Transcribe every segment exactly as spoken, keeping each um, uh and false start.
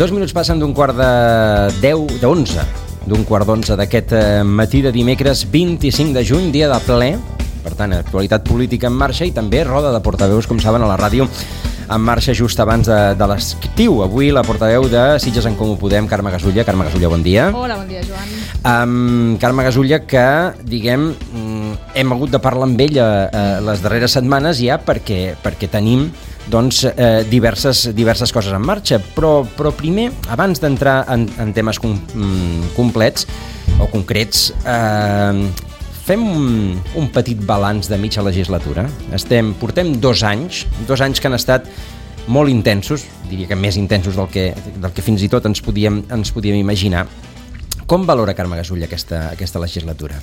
Dos minuts passen d'un quart de deu, d'onze, d'un quart d'onze d'aquest matí de dimecres vint-i-cinc de juny, dia de ple. Per tant, actualitat política en marxa i també roda de portaveus, com saben, a la ràdio, en marxa just abans de, de l'estiu. Avui la portaveu de Sitges en Comú Podem, Carme Gasulla. Carme Gasulla, bon dia. Hola, bon dia, Joan. Um, Carme Gasulla, que, diguem, hem hagut de parlar amb ella eh, les darreres setmanes ja perquè, perquè tenim doncs, eh, diverses, diverses coses en marxa. Però, però primer, abans d'entrar en, en temes com, mm, complets o concrets, eh, fem un, un petit balanç de mitja legislatura. Estem, portem dos anys, dos anys que han estat molt intensos, diria que més intensos del que, del que fins i tot ens podíem, ens podíem imaginar. Com valora Carme Gasulla aquesta, aquesta legislatura?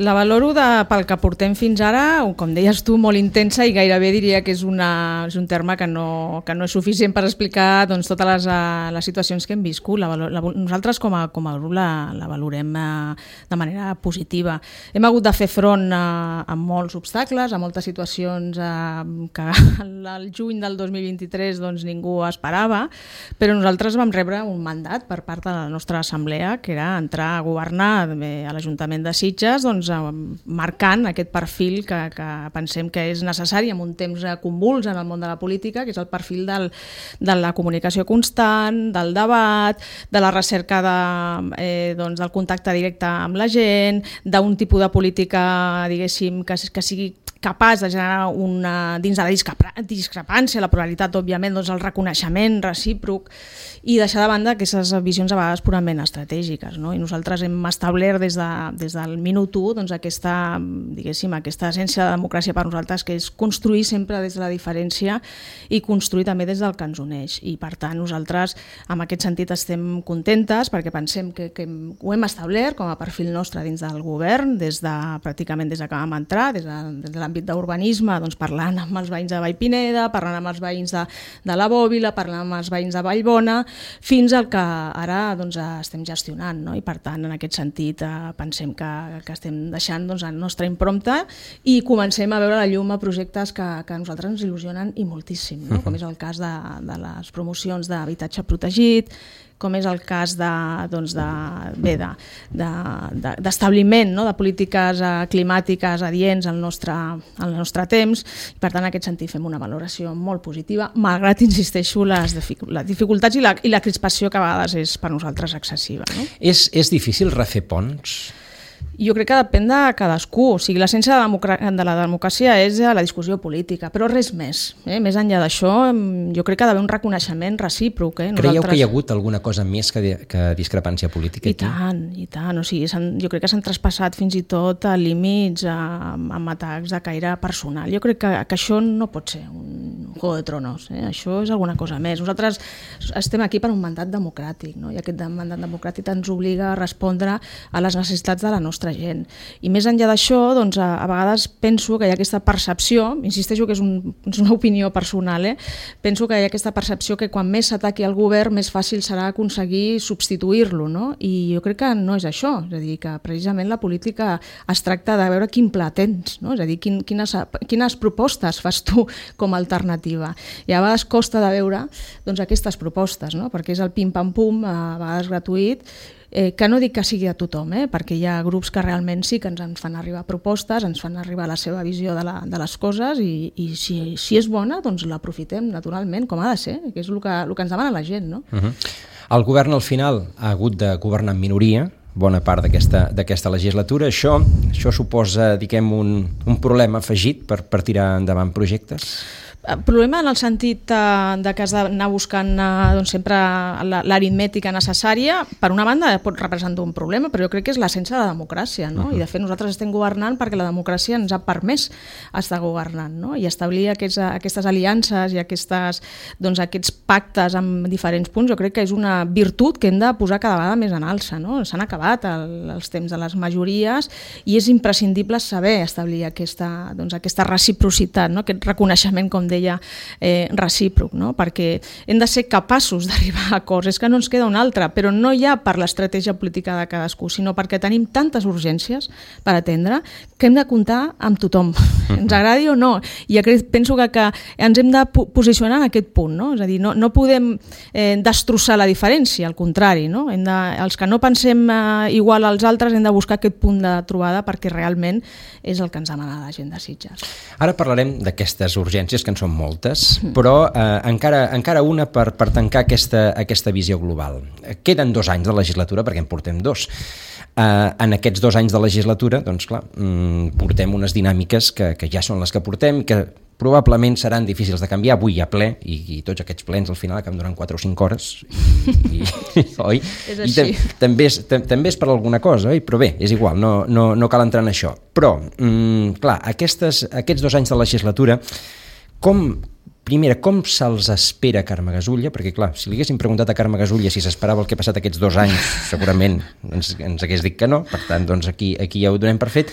La valoro de, pel que portem fins ara, com deies tu, molt intensa, i gairebé diria que és, una, és un terme que no, que no és suficient per explicar doncs, totes les, les situacions que hem viscut. La, la, nosaltres com a, com a grup la, la valorem de manera positiva. Hem hagut de fer front a, a molts obstacles, a moltes situacions a, que al juny del dos mil vint-i-tres doncs, ningú esperava, però nosaltres vam rebre un mandat per part de la nostra assemblea, que era entrar a governar a l'Ajuntament de Sitges, doncs, marcant aquest perfil que, que pensem que és necessari en un temps convuls en el món de la política, que és el perfil del, de la comunicació constant, del debat, de la recerca de, eh, doncs, del contacte directe amb la gent, d'un tipus de política, diguéssim, que, que sigui capaç de generar una, dins de la discrepància, la pluralitat, òbviament, doncs el reconeixement recíproc, i deixar de banda aquestes visions a vegades purament estratègiques, no? I nosaltres hem establert des, de, des del minut u doncs, aquesta, diguéssim, aquesta essència de democràcia per nosaltres, que és construir sempre des de la diferència i construir també des del que ens uneix. I per tant nosaltres en aquest sentit estem contentes perquè pensem que, que ho hem establert com a perfil nostre dins del govern, des de, pràcticament des de que vam entrar, des de, des de l'àmbit d'urbanisme, doncs, parlant amb els veïns de Vallpineda, parlant amb els veïns de, de la Bòbila, parlant amb els veïns de Vallbona, fins al que ara doncs, estem gestionant, no? I per tant en aquest sentit eh, pensem que, que estem deixant doncs, la nostra impremta i comencem a veure la llum a projectes que, que a nosaltres ens il·lusionen i moltíssim, no? Com és el cas de, de les promocions d'habitatge protegit, com és el cas de, doncs de, bé, de, de, de, d'establiment, no? De polítiques eh, climàtiques adients al nostre, al nostre temps. I per tant, en aquest sentit, fem una valoració molt positiva, malgrat, insisteixo, les, les dificultats i la, i la crispació que a vegades és per nosaltres excessiva. No? És, és difícil refer ponts? Jo crec que depèn de cadascú. O sigui, l'essència de, de la democràcia és la discussió política, però res més. Eh? Més enllà d'això, jo crec que ha d'haver un reconeixement recíproc. Eh? Nosaltres... Creieu que hi ha hagut alguna cosa més que, que discrepància política? I aquí? tant, i tant. O sigui, jo crec que s'han traspassat fins i tot a límits amb, amb atacs de caire personal. Jo crec que, que això no pot ser un Juego de Tronos. Eh? Això és alguna cosa més. Nosaltres estem aquí per un mandat democràtic, no? I aquest mandat democràtic ens obliga a respondre a les necessitats de la nostra gent. I més enllà d'això, doncs, a, a vegades penso que hi ha aquesta percepció, insisteixo que és, un, és una opinió personal, eh? Penso que hi ha aquesta percepció que quan més s'ataqui el govern més fàcil serà aconseguir substituir-lo, no? I jo crec que no és això, és a dir, que precisament la política es tracta de veure quin pla tens, no? És a dir, quin, quines, quines propostes fas tu com a alternativa. I a vegades costa de veure doncs, aquestes propostes, no? Perquè és el pim-pam-pum, a vegades gratuït, Eh, que no dic que sigui a tothom, eh, perquè hi ha grups que realment sí que ens en fan arribar propostes, ens fan arribar la seva visió de, la, de les coses i, i si, si és bona, doncs l'aprofitem naturalment, com ha de ser, que és el que, el que ens demana la gent. No? Uh-huh. El govern al final ha hagut de governar en minoria, bona part d'aquesta d'aquesta legislatura. Això, això suposa, diguem, un, un problema afegit per, per tirar endavant projectes? Problema en el sentit eh, de que has d'anar buscant eh, doncs sempre l'aritmètica necessària. Per una banda pot representar un problema, però jo crec que és l'essència de la democràcia, no? Uh-huh. I de fet nosaltres estem governant perquè la democràcia ens ha permès estar governant, no? I establir aquests, aquestes aliances i aquestes, doncs, aquests pactes amb diferents punts jo crec que és una virtut que hem de posar cada vegada més en alça, no? S'han acabat el, els temps de les majories i és imprescindible saber establir aquesta, doncs, aquesta reciprocitat, no? Aquest reconeixement, com deia, eh, recíproc, no? Perquè hem de ser capaços d'arribar a acords. És que no ens queda un altre, però no ja per l'estratègia política de cadascú, sinó perquè tenim tantes urgències per atendre que hem de comptar amb tothom, ens agradi o no. I penso que, que ens hem de posicionar en aquest punt, no? És a dir, no, no podem eh, destrossar la diferència, al contrari, no? Hem de, els que no pensem eh, igual als altres hem de buscar aquest punt de trobada perquè realment és el que ens demana la gent de Sitges. Ara parlarem d'aquestes urgències, que en són moltes, però eh, encara, encara una per, per tancar aquesta, aquesta visió global. Queden dos anys de legislatura, perquè en portem dos. Uh, en aquests dos anys de legislatura, doncs clar, mm, portem unes dinàmiques que, que ja són les que portem, que probablement seran difícils de canviar. Avui hi ha ple, i, i tots aquests plens al final acaben durant quatre o cinc hores, i, i, oi? És I així. tam, també, és, tam, també és per alguna cosa, oi? Però bé, és igual, no, no, no cal entrar en això. Però, mm, clar, aquestes, aquests dos anys de legislatura, com... Primera, com se'ls espera a Carme Gasulla? Perquè, clar, si li haguéssim preguntat a Carme Gasulla si s'esperava el que ha passat aquests dos anys, segurament ens, ens hagués dit que no. Per tant, doncs aquí, aquí ja ho donem per fet.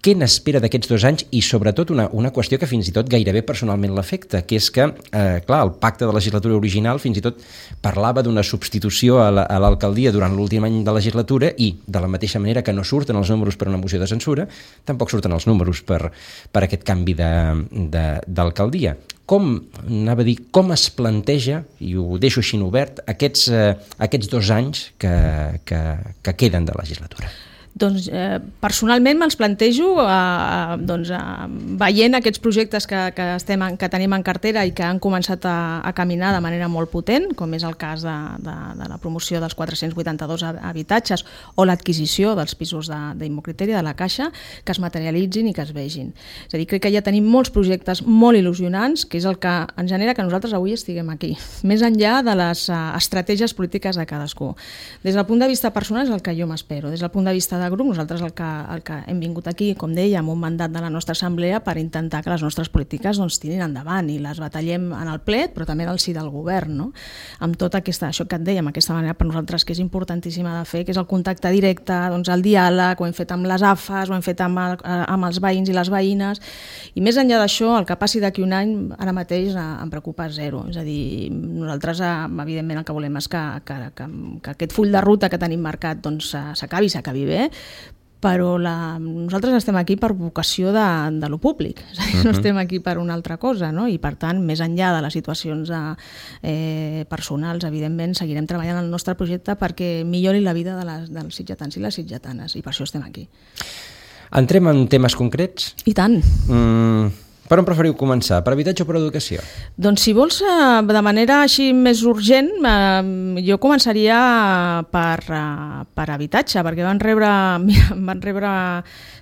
Què n'espera d'aquests dos anys? I, sobretot, una, una qüestió que fins i tot gairebé personalment l'afecta, que és que, eh, clar, el pacte de legislatura original fins i tot parlava d'una substitució a l'alcaldia durant l'últim any de legislatura i, de la mateixa manera que no surten els números per una moció de censura, tampoc surten els números per, per aquest canvi d'alcaldia. Com, anava a dir, com es planteja, i ho deixo així obert, aquests, eh, aquests dos anys que, que, que queden de legislatura? Doncs eh, personalment me'ls plantejo eh, doncs, eh, veient aquests projectes que, que, estem en, que tenim en cartera i que han començat a, a caminar de manera molt potent, com és el cas de, de, de la promoció dels quatre-cents vuitanta-dos habitatges o l'adquisició dels pisos d'Immocriteri de la Caixa, que es materialitzin i que es vegin. És a dir, crec que ja tenim molts projectes molt il·lusionants, que és el que ens genera que nosaltres avui estiguem aquí, més enllà de les uh, estratègies polítiques de cadascú. Des del punt de vista personal és el que jo m'espero, des del punt de vista de grup, nosaltres el que, el que hem vingut aquí, com deia, amb un mandat de la nostra assemblea per intentar que les nostres polítiques doncs, tirin endavant i les batallem en el plet, però també en el si del govern, no? Amb tot aquesta, això que et deia, amb aquesta manera per nosaltres que és importantíssima de fer, que és el contacte directe, doncs, el diàleg, ho hem fet amb les A F As, ho hem fet amb, el, amb els veïns i les veïnes, i més enllà d'això, el que passi d'aquí un any, ara mateix em preocupa zero. És a dir, nosaltres, evidentment, el que volem és que, que, que, que aquest full de ruta que tenim marcat doncs, s'acabi, s'acabi bé, però la, nosaltres estem aquí per vocació de, de lo públic, és a dir, no estem aquí per una altra cosa, no? I per tant, més enllà de les situacions eh, personals, evidentment, seguirem treballant en el nostre projecte perquè millori la vida de les, dels sitgetans i les sitgetanes, i per això estem aquí. Entrem en temes concrets? I tant. Mm, per on preferiu començar? Per habitatge o per educació? Doncs si vols, de manera així més urgent, jo començaria per, per habitatge, perquè van rebre, van rebre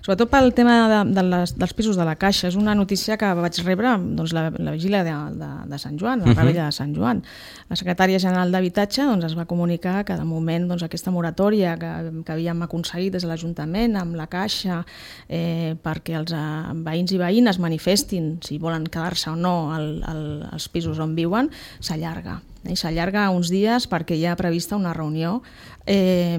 sobretot pel tema de, de les, dels pisos de la Caixa. És una notícia que vaig rebre doncs, la, la vigília de, de, de Sant Joan, la rebella de Sant Joan. La secretària general d'Habitatge doncs, es va comunicar que de moment doncs, aquesta moratòria que, que havíem aconseguit des de l'Ajuntament amb la Caixa eh, perquè els eh, veïns i veïnes manifestin si volen quedar-se o no al, al, als pisos on viuen, s'allarga. I s'allarga uns dies perquè hi ha prevista una reunió. Eh,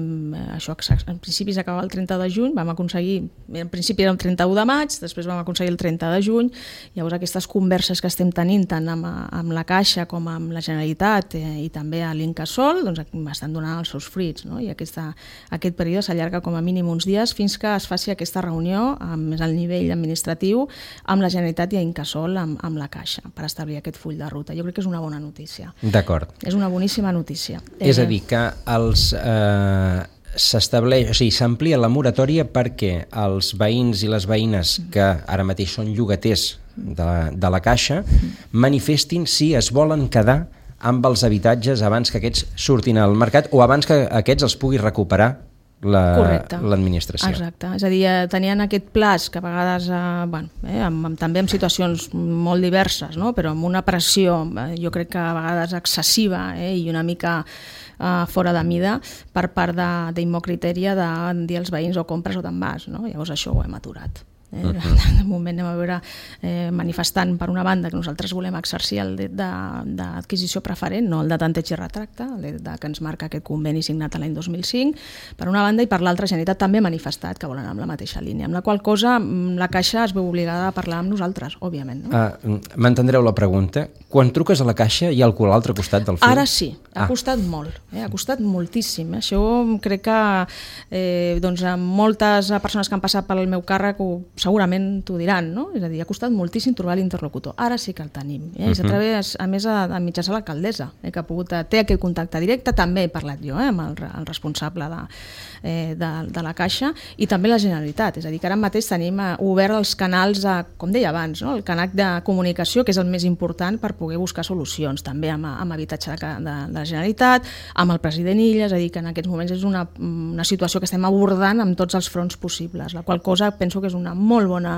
això en principi s'acaba el trenta de juny, vam aconseguir, en principi era el trenta-u de maig, després vam aconseguir el trenta de juny. Llavors aquestes converses que estem tenint tant amb, amb la Caixa com amb la Generalitat eh, i també a l'Incasòl doncs, estan donant els seus fruits, no? I aquesta, aquest període s'allarga com a mínim uns dies fins que es faci aquesta reunió amb el nivell administratiu amb la Generalitat i a Incasòl amb, amb la Caixa per establir aquest full de ruta. Jo crec que és una bona notícia. D'acord. És una boníssima notícia. És a dir, que els eh, s'estableix, o sigui, s'amplia la moratòria perquè els veïns i les veïnes que ara mateix són llogaters de, de la Caixa manifestin si es volen quedar amb els habitatges abans que aquests surtin al mercat o abans que aquests els pugui recuperar l'administració. La, Exacte, és a dir, tenien aquest plaç que a vegades, eh, bueno, eh, amb, amb, també en situacions molt diverses, no? Però amb una pressió, eh, jo crec que a vegades excessiva eh, i una mica eh, fora de mida per part d'Immocriteri de dir als veïns o compres o te'n vas, no? Llavors això ho hem aturat. Eh? Uh-huh. De moment anem a veure eh, manifestant per una banda que nosaltres volem exercir el dret d'adquisició preferent, no el de tanteig i retracte, el dret de, que ens marca aquest conveni signat l'any dos mil cinc, per una banda, i per l'altra Generalitat també ha manifestat que volen anar amb la mateixa línia, amb la qual cosa la Caixa es veu obligada a parlar amb nosaltres, òbviament. No? Uh, M'entendreu la pregunta? Quan truques a la Caixa hi ha algú a l'altre costat del fil? Ara sí, ha ah. costat molt, eh? ha costat moltíssim. Això crec que eh, doncs, moltes persones que han passat pel meu càrrec ho, segurament t'ho diran, no? És a dir, ha costat moltíssim trobar l'interlocutor. Ara sí que el tenim. Eh? Uh-huh. És a través, a més, a, a mitjançant l'alcaldessa, eh? que ha pogut, té aquest contacte directe, també he parlat jo eh? amb el, el responsable de, eh, de, de la Caixa i també la Generalitat. És a dir, que ara mateix tenim eh, obert els canals, de, com deia abans, no? El canal de comunicació, que és el més important per poder buscar solucions, també amb, amb habitatge de, de, de la Generalitat, amb el president Illa, és a dir, que en aquests moments és una, una situació que estem abordant amb tots els fronts possibles, la qual cosa penso que és una molt bona,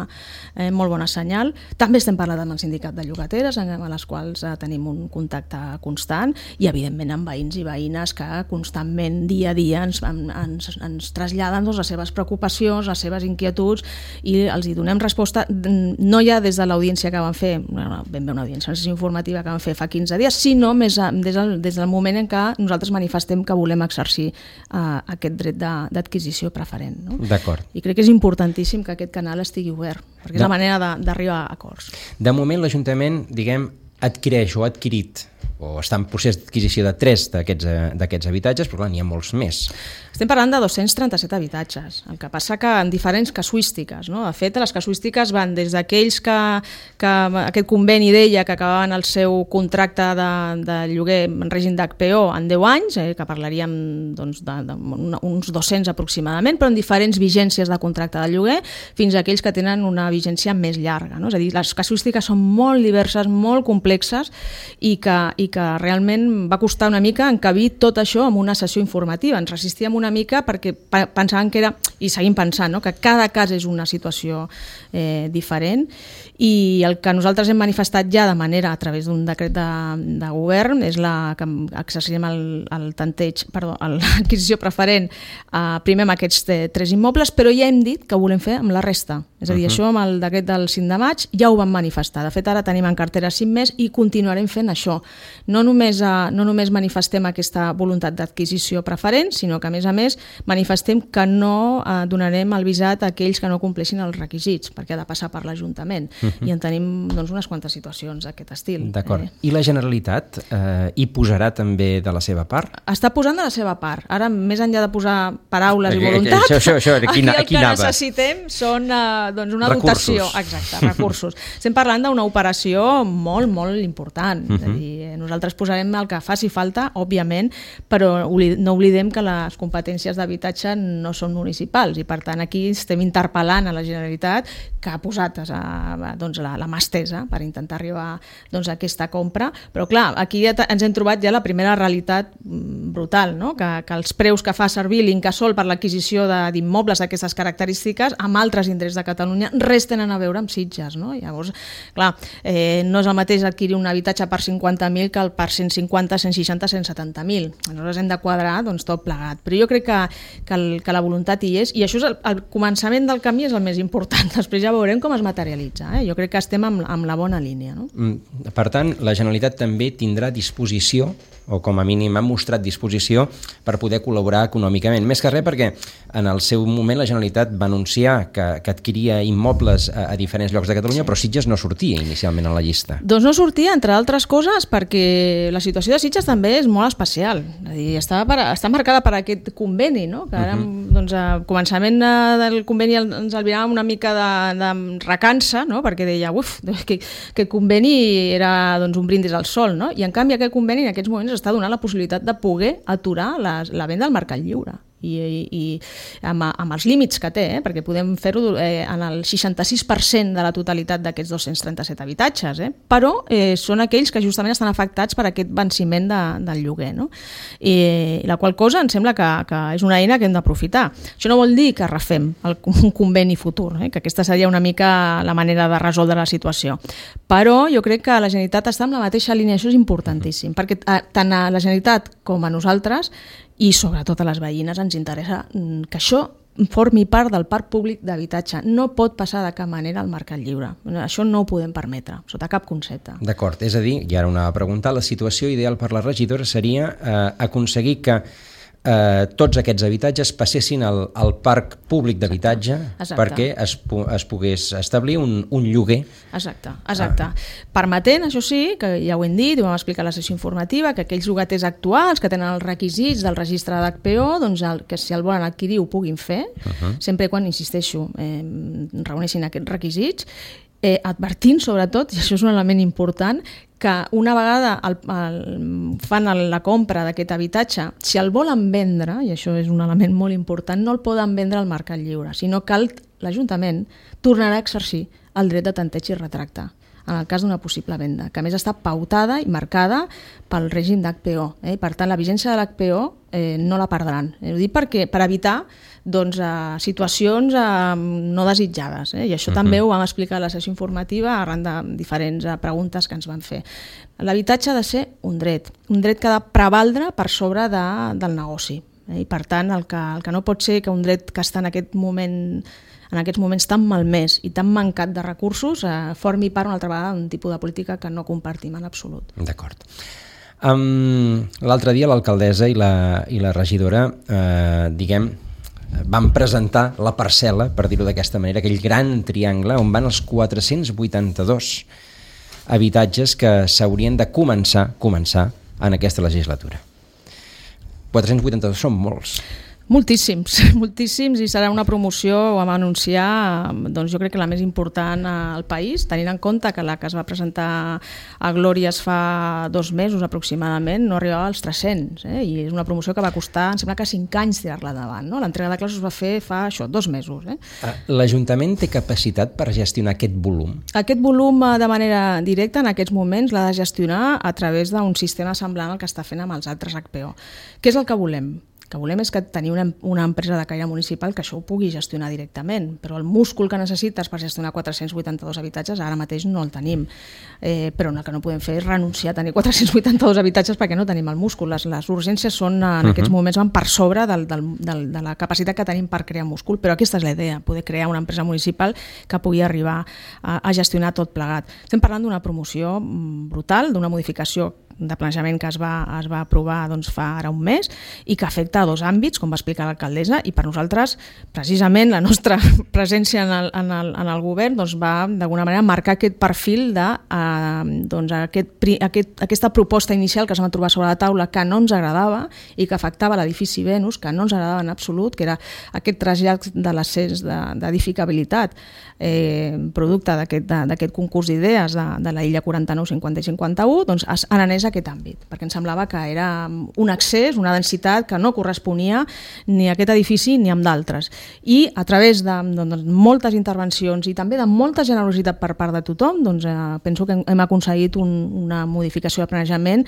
eh, molt bona senyal. També estem parlant amb el sindicat de llogateres, amb les quals eh, tenim un contacte constant, i evidentment amb veïns i veïnes que constantment, dia a dia, ens, ens, ens traslladen doncs, les seves preocupacions, les seves inquietuds, i els hi donem resposta, no ja des de l'audiència que van fer, no, ben bé una audiència, una sessió informativa que van fer fa quinze dies, sinó més a, des, del, des del moment en què nosaltres manifestem que volem exercir uh, aquest dret d'adquisició preferent. No? D'acord. I crec que és importantíssim que aquest canal estigui obert, perquè és de... la manera d'arribar a acords. De moment l'Ajuntament, diguem, adquireix o ha adquirit o està en procés d'adquisició de tres d'aquests habitatges, però clar, n'hi ha molts més. Estem parlant de dos-cents trenta-set habitatges, el que passa que en diferents casuístiques. No? De fet, les casuístiques van des d'aquells que, que aquest conveni deia que acabaven el seu contracte de, de lloguer en règim d'H P O en deu anys, eh, que parlaríem doncs, d'uns dos-cents aproximadament, però en diferents vigències de contracte de lloguer, fins a aquells que tenen una vigència més llarga. No? És a dir, les casuístiques són molt diverses, molt complexes, i que, i que realment va costar una mica encabir tot això en una sessió informativa. Ens resistíem una mica perquè pensaven que era, i seguim pensant, no? que cada cas és una situació eh, diferent, i el que nosaltres hem manifestat ja de manera a través d'un decret de, de govern és la que exercirem el, el tanteig, perdó, l'adquisició preferent eh, primer amb aquests tres immobles, però ja hem dit que ho volem fer amb la resta. És a dir, uh-huh. això amb el decret del cinc de maig ja ho vam manifestar. De fet, ara tenim en cartera cinc més i continuarem fent això. No només, eh, no només manifestem aquesta voluntat d'adquisició preferent, sinó que a més a més manifestem que no eh, donarem el visat a aquells que no compleixin els requisits, perquè ha de passar per l'Ajuntament. Uh-huh. I en tenim doncs, unes quantes situacions d'aquest estil. D'acord. Eh? I la Generalitat eh, hi posarà també de la seva part? Està posant de la seva part. Ara, més enllà de posar paraules i voluntat, això, això, això, aquí, aquí el aquí que anava. necessitem són eh, doncs una recursos. dotació. Exacte, recursos. Estem parlant d'una operació molt, molt important. Uh-huh. És a dir, nosaltres posarem el que faci falta, òbviament, però no oblidem que les competències d'habitatge no són municipals, i per tant aquí estem interpel·lant a la Generalitat, que ha posat a, a, doncs, la, la mà estesa per intentar arribar doncs, a aquesta compra, però clar, aquí ja ens hem trobat ja la primera realitat brutal, no? que, que els preus que fa servir l'Incasòl per l'adquisició d'immobles d'aquestes característiques amb altres indrets de Catalunya res tenen a veure amb Sitges. No? Llavors, clar, eh, no és el mateix adquirir un habitatge per cinquanta mil que el per cent cinquanta, cent seixanta, cent setanta mil. Aleshores hem de quadrar doncs, tot plegat. Però jo crec que, que, el, que la voluntat hi és, i això és el, el començament del camí, és el més important. Després ja veurem com es materialitza. Eh? Jo crec que estem amb, amb la bona línia. No? Per tant, la Generalitat també tindrà disposició, o com a mínim ha mostrat disposició, per poder col·laborar econòmicament. Més que res perquè en el seu moment la Generalitat va anunciar que, que adquiria immobles a, a diferents llocs de Catalunya, sí. però Sitges no sortia inicialment a la llista. Doncs no sortia, entre altres coses, perquè la situació de Sitges també és molt especial. És a dir, està, per, està marcada per aquest conveni, no? que ara, uh-huh. doncs, al començament del conveni ens albiràvem una mica de, de recança, no? perquè deia, uf, que, que conveni era doncs, un brindis al sol, no? i en canvi aquest conveni en aquests moments està donant la possibilitat de poder aturar la, la venda al mercat lliure. I, i amb, amb els límits que té, eh? perquè podem fer-ho eh, en el seixanta-sis per cent de la totalitat d'aquests dos-cents trenta-set habitatges, eh? però eh, són aquells que justament estan afectats per aquest venciment de, del lloguer. No? I, I la qual cosa em sembla que, que és una eina que hem d'aprofitar. Això no vol dir que refem el, un conveni futur, eh? que aquesta seria una mica la manera de resoldre la situació. Però jo crec que la Generalitat està en la mateixa línia, això és importantíssim, perquè tant a la Generalitat com a nosaltres i sobretot a les veïnes ens interessa que això formi part del parc públic d'habitatge. No pot passar de cap manera al mercat lliure. Això no ho podem permetre, sota cap concepte. D'acord, és a dir, i ara una pregunta, la situació ideal per la regidora seria eh, aconseguir que eh, tots aquests habitatges passessin al, al parc públic d'habitatge perquè es, es pogués establir un, un lloguer. Exacte, exacte. Ah. Permetent, això sí, que ja ho hem dit, ho vam explicar a la sessió informativa, que aquells llogaters actuals que tenen els requisits del registre d'H P O, doncs el, que si el volen adquirir ho puguin fer, uh-huh. sempre quan, insisteixo, eh, reuneixin aquests requisits, eh, advertint sobretot, i això és un element important, que una vegada el, el, fan el, la compra d'aquest habitatge, si el volen vendre, i això és un element molt important, no el poden vendre al mercat lliure, sinó que l'Ajuntament tornarà a exercir el dret de tanteig i retracte en el cas d'una possible venda, que a més està pautada i marcada pel règim d'H P O. Eh? Per tant, la vigència de l'H P O eh, no la perdran. Eh, ho dic perquè, per evitar doncs, eh, situacions eh, no desitjades. Eh? I això uh-huh. també ho vam explicar a la sessió informativa arran de diferents eh, preguntes que ens van fer. L'habitatge ha de ser un dret, un dret que ha de prevaldre per sobre de, del negoci. Eh? I per tant, el que, el que no pot ser que un dret que està en aquest moment en aquests moments tan malmès i tan mancat de recursos eh, formi part una altra vegada d'un tipus de política que no compartim en absolut. D'acord. Um, l'altre dia l'alcaldessa i la, i la regidora eh, diguem, van presentar la parcel·la, per dir-ho d'aquesta manera, aquell gran triangle on van els quatre-cents vuitanta-dos habitatges que s'haurien de començar, començar en aquesta legislatura. quatre-cents vuitanta-dos són molts. Moltíssims, moltíssims, i serà una promoció, ho vam anunciar, doncs jo crec que la més important al país, tenint en compte que la que es va presentar a Glòries fa dos mesos aproximadament no arribava als tres-cents, eh? I és una promoció que va costar, em sembla que cinc anys tirar-la endavant, no? L'entrega de classes es va fer fa això, dos mesos. Eh? L'Ajuntament té capacitat per gestionar aquest volum? Aquest volum de manera directa en aquests moments l'ha de gestionar a través d'un sistema semblant al que està fent amb els altres H P O. Què és el que volem? El que volem és que tenir una, una empresa de caire municipal que això ho pugui gestionar directament, però el múscul que necessites per gestionar quatre-cents vuitanta-dos habitatges ara mateix no el tenim, eh, però el que no podem fer és renunciar a tenir quatre-cents vuitanta-dos habitatges perquè no tenim el múscul. Les, les urgències són, en aquests uh-huh. moments van per sobre del, del, del, de la capacitat que tenim per crear múscul, però aquesta és la idea, poder crear una empresa municipal que pugui arribar a, a gestionar tot plegat. Estem parlant d'una promoció brutal, d'una modificació de planejament que es va, es va aprovar doncs, fa ara un mes i que afecta a dos àmbits, com va explicar l'alcaldessa, i per nosaltres, precisament, la nostra presència en el, en el, en el govern doncs, va, d'alguna manera, marcar aquest perfil de eh, doncs, aquest, aquest, aquesta proposta inicial que es va trobar sobre la taula que no ens agradava i que afectava l'edifici Venus, que no ens agradava en absolut, que era aquest trasllat de l'ascens d'edificabilitat eh, producte d'aquest concurs d'idees de, de la Illa quaranta-nou, cinquanta i cinquanta-u, doncs es, en anés a aquest àmbit, perquè em semblava que era un accés, una densitat que no corresponia ni a aquest edifici ni amb d'altres. I a través de doncs, moltes intervencions i també de molta generositat per part de tothom, doncs, eh, penso que hem aconseguit un, una modificació de planejament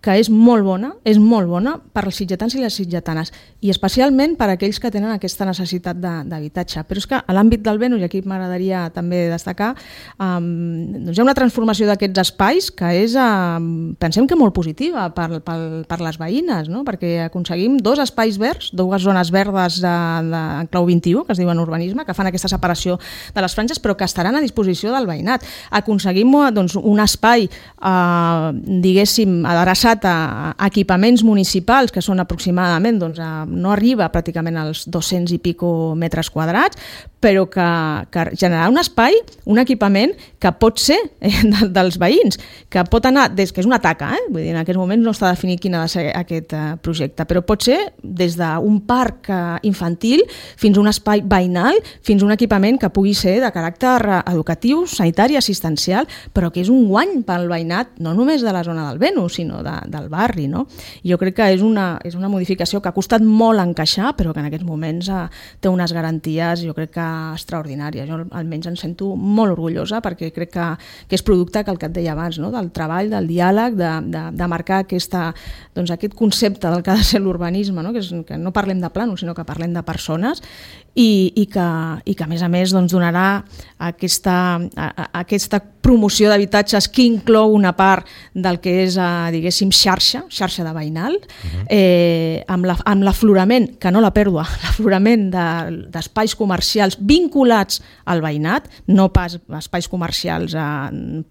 que és molt bona, és molt bona per als sitgetans i les sitgetanes, i especialment per a aquells que tenen aquesta necessitat d'habitatge. Però és que a l'àmbit del Venus, i aquí m'agradaria també destacar, eh, doncs hi ha una transformació d'aquests espais que és, eh, pensem que molt positiva per, per, per les veïnes, no? Perquè aconseguim dos espais verds, dues zones verdes de, de, en clau vint-i-u, que es diuen urbanisme, que fan aquesta separació de les franges, però que estaran a disposició del veïnat. Aconseguim doncs, un espai, eh, diguéssim, adreçat a equipaments municipals, que són aproximadament, doncs, a, no arriba pràcticament als dos-cents i pico metres quadrats, però que, que generar un espai, un equipament que pot ser eh, de, dels veïns, que pot anar, des que és una taca, eh? Vull dir, en aquests moments no està definit quin ha de ser aquest eh, projecte, però pot ser des d'un parc eh, infantil fins a un espai veïnal, fins a un equipament que pugui ser de caràcter educatiu, sanitari, assistencial, però que és un guany pel veïnat, no només de la zona del Venus, sinó de, del barri, no? I jo crec que és una, és una modificació que ha costat molt encaixar, però que en aquests moments eh, té unes garanties, jo crec que extraordinàries. Jo almenys em sento molt orgullosa perquè crec que, que és producte que el que et deia abans, no? Del treball, del diàleg, de, de, de marcar aquesta, doncs, aquest concepte del que ha de ser l'urbanisme, no? Que, és, que no parlem de plànols, sinó que parlem de persones, i, i, que, i que a més a més doncs, donarà aquesta, a, a, aquesta promoció d'habitatges que inclou una part del que és, eh, diguéssim, xarxa, xarxa de veïnal, uh-huh. eh, amb, la, amb l'aflorament, que no la pèrdua, l'aflorament de, d'espais comercials vinculats al veïnat, no pas espais comercials eh,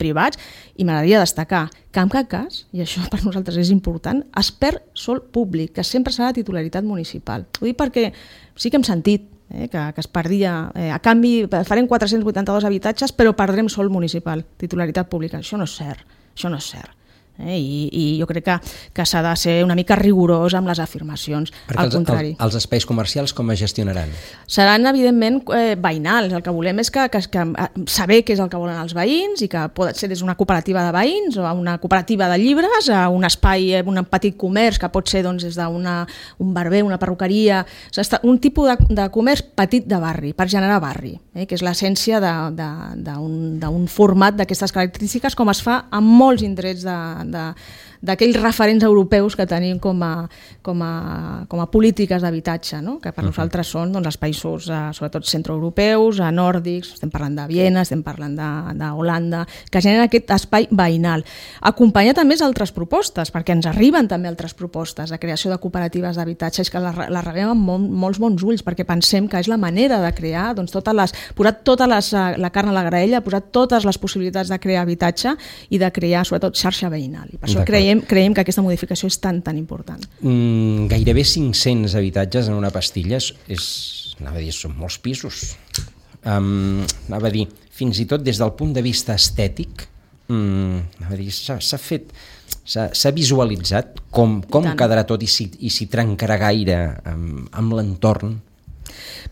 privats, i m'agradaria destacar que en cap cas, i això per nosaltres és important, es perd sol públic, que sempre serà de titularitat municipal. Ho dic perquè sí que hem sentit Eh, que, que es perdia. Eh, a canvi, farem quatre-cents vuitanta-dos habitatges, però perdrem sol municipal, titularitat pública. Això no és cert, això no és cert. Eh, i, i jo crec que, que s'ha de ser una mica rigorós amb les afirmacions. Perquè al els, contrari. Els, els espais comercials com es gestionaran? Seran, evidentment, eh, veïnals. El que volem és que, que, que saber què és el que volen els veïns i que pot ser des d'una cooperativa de veïns o una cooperativa de llibres a un espai, un petit comerç que pot ser doncs, des d'un barber, una perruqueria, un tipus de, de comerç petit de barri, per generar barri, eh, que és l'essència d'un format d'aquestes característiques, com es fa en molts indrets de d'aquells referents europeus que tenim com a, com a, com a polítiques d'habitatge, no? Que per uh-huh. nosaltres són doncs, els països, eh, sobretot centroeuropeus, eh, nòrdics, estem parlant de Viena, estem parlant d'Holanda, que generen aquest espai veïnal. Acompanyat també d'altres propostes, perquè ens arriben també altres propostes de creació de cooperatives d'habitatge, és que les la rebem amb molt, molts bons ulls, perquè pensem que és la manera de crear, doncs, totes les, posar tota les, la carn a la graella, posar totes les possibilitats de crear habitatge i de crear, sobretot, xarxa veïnal. I per això creiem creiem que aquesta modificació és tan, tan important. Mm, gairebé cinc-cents habitatges en una pastilla és, és anava a dir, són molts pisos. Um, anava a dir, fins i tot des del punt de vista estètic, um, anava a dir, s'ha, s'ha fet, s'ha visualitzat com, com quedarà tot i si, i si trencarà gaire amb, amb l'entorn.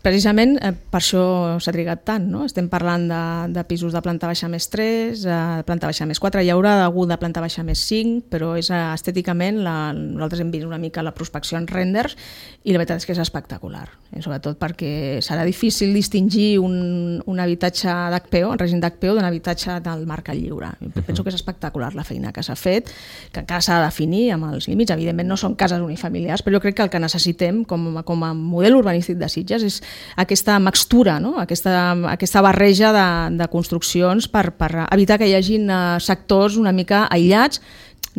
Precisament eh, per això s'ha trigat tant, no? Estem parlant de, de pisos de planta baixa més tres, eh, planta baixa més quatre, hi haurà algú de planta baixa més cinc, però és, eh, estèticament la, nosaltres hem vist una mica la prospecció en renders i la veritat és que és espectacular, eh? Sobretot perquè serà difícil distingir un, un habitatge d'H P O, en règim d'H P O, d'un habitatge del mercat lliure. Uh-huh. Penso que és espectacular la feina que s'ha fet, que encara s'ha de definir amb els límits. Evidentment no són cases unifamiliars, però jo crec que el que necessitem com, com a model urbanístic de Sitges és aquesta mixtura, no? aquesta, aquesta barreja de, de construccions per, per evitar que hi hagin uh, sectors una mica aïllats,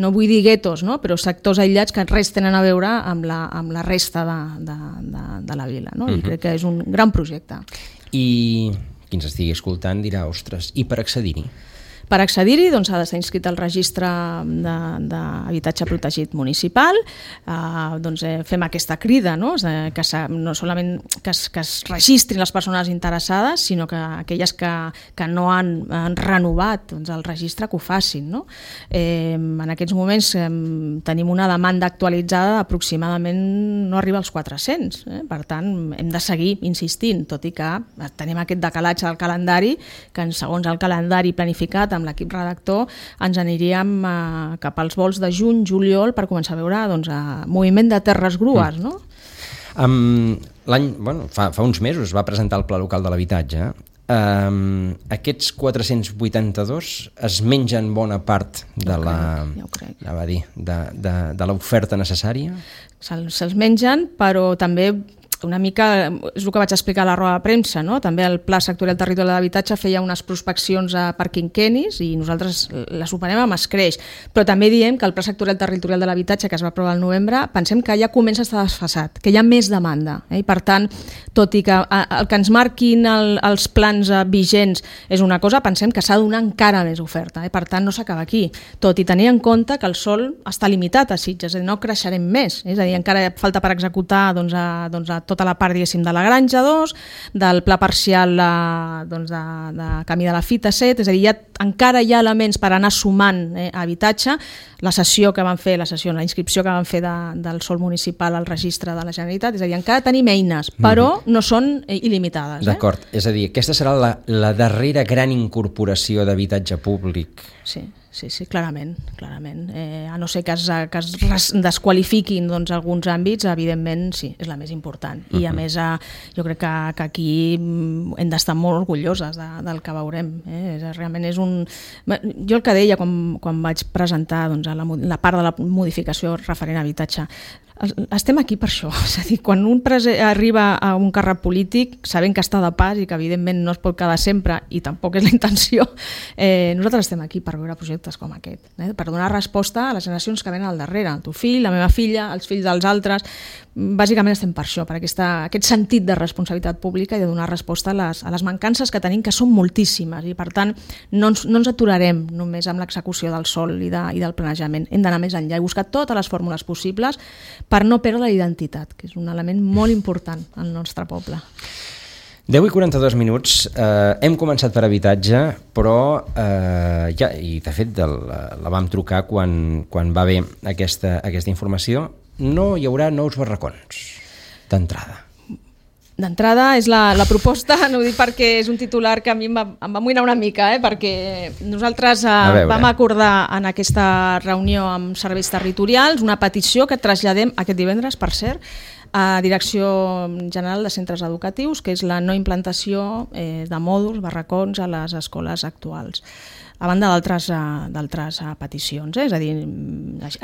no vull dir guetos, no? Però sectors aïllats que res tenen a veure amb la, amb la resta de, de, de, de la vila. No? I uh-huh. crec que és un gran projecte. I qui ens estigui escoltant dirà, ostres, i per accedir-hi? Per accedir-hi doncs, ha d'estar inscrit al registre d'habitatge protegit municipal. Eh, doncs, eh, fem aquesta crida, no? Eh, que no solament que es, que es registrin les persones interessades, sinó que aquelles que, que no han, han renovat doncs, el registre que ho facin. No? Eh, en aquests moments eh, tenim una demanda actualitzada aproximadament no arriba als quatre-cents. Eh? Per tant, hem de seguir insistint, tot i que tenim aquest decalatge del calendari, que segons el calendari planificat amb l'equip redactor ens aniríem eh, cap als vols de juny, juliol, per començar a veure doncs, a moviment de terres grues, no? Um, l'any, bueno, fa, fa uns mesos va presentar el Pla Local de l'Habitatge. Um, aquests quatre-cents vuitanta-dos es mengen bona part de ja la, crec, ja ho crec. anava a dir, de, de, de l'oferta necessària? Se'ls, se'ls mengen, però també una mica, és el que vaig explicar a la roda de premsa, no? També el Pla Sectorial Territorial d'Habitatge feia unes prospeccions per quinquennis i nosaltres la superem amb escreix, però també diem que el Pla Sectorial Territorial de l'Habitatge que es va aprovar al novembre, pensem que ja comença a estar desfasat, que hi ha més demanda, eh? I per tant, tot i que el que ens marquin el, els plans vigents és una cosa, pensem que s'ha de donar encara més oferta, eh? Per tant no s'acaba aquí, tot i tenir en compte que el sòl està limitat a Sitges, és a dir, no creixerem més, és a dir, encara falta per executar doncs, a, doncs, a tota la part, diguéssim, de la Granja dos, del pla parcial doncs, de, de Camí de la Fita set, és a dir, ja, encara hi ha elements per anar sumant eh, habitatge. La sessió que van fer, la sessió, la inscripció que van fer de, del sòl municipal al registre de la Generalitat, és a dir, encara tenim eines, però mm-hmm. no són il·limitades. Eh? D'acord, és a dir, aquesta serà la, la darrera gran incorporació d'habitatge públic sí. sí, sí, clarament, clarament. Eh, a no ser que es, que es desqualifiquin doncs, alguns àmbits, evidentment sí, és la més important. I a més, eh, jo crec que, que aquí hem d'estar molt orgulloses de, del que veurem. Eh? Realment és un... Jo el que deia quan, quan vaig presentar doncs, la, la part de la modificació referent a habitatge, estem aquí per això, és a dir, quan un arriba a un càrrec polític sabent que està de pas i que evidentment no es pot quedar sempre i tampoc és la intenció, eh, nosaltres estem aquí per veure projectes com aquest, eh, per donar resposta a les generacions que venen al darrere, el teu fill, la meva filla, els fills dels altres. Bàsicament estem per això, per aquesta, aquest sentit de responsabilitat pública i de donar resposta a les, a les mancances que tenim, que són moltíssimes, i per tant no ens, no ens aturarem només amb l'execució del sòl i, de, i del planejament, hem d'anar més enllà i buscar totes les fórmules possibles per no perdre la identitat, que és un element molt important al nostre poble. deu i quaranta-dos minuts, eh, hem començat per habitatge, però eh, ja, i de fet del, la vam trucar quan, quan va haver aquesta, aquesta informació, no hi haurà nous barracons d'entrada. D'entrada és la, la proposta, no ho dic perquè és un titular que a mi em va, em va amoïnar una mica, eh? Perquè nosaltres eh, vam acordar en aquesta reunió amb serveis territorials una petició que traslladem aquest divendres, per cert, a Direcció General de Centres Educatius, que és la no implantació eh, de mòduls, barracons a les escoles actuals, a banda d'altres d'altres peticions. Eh? És a dir,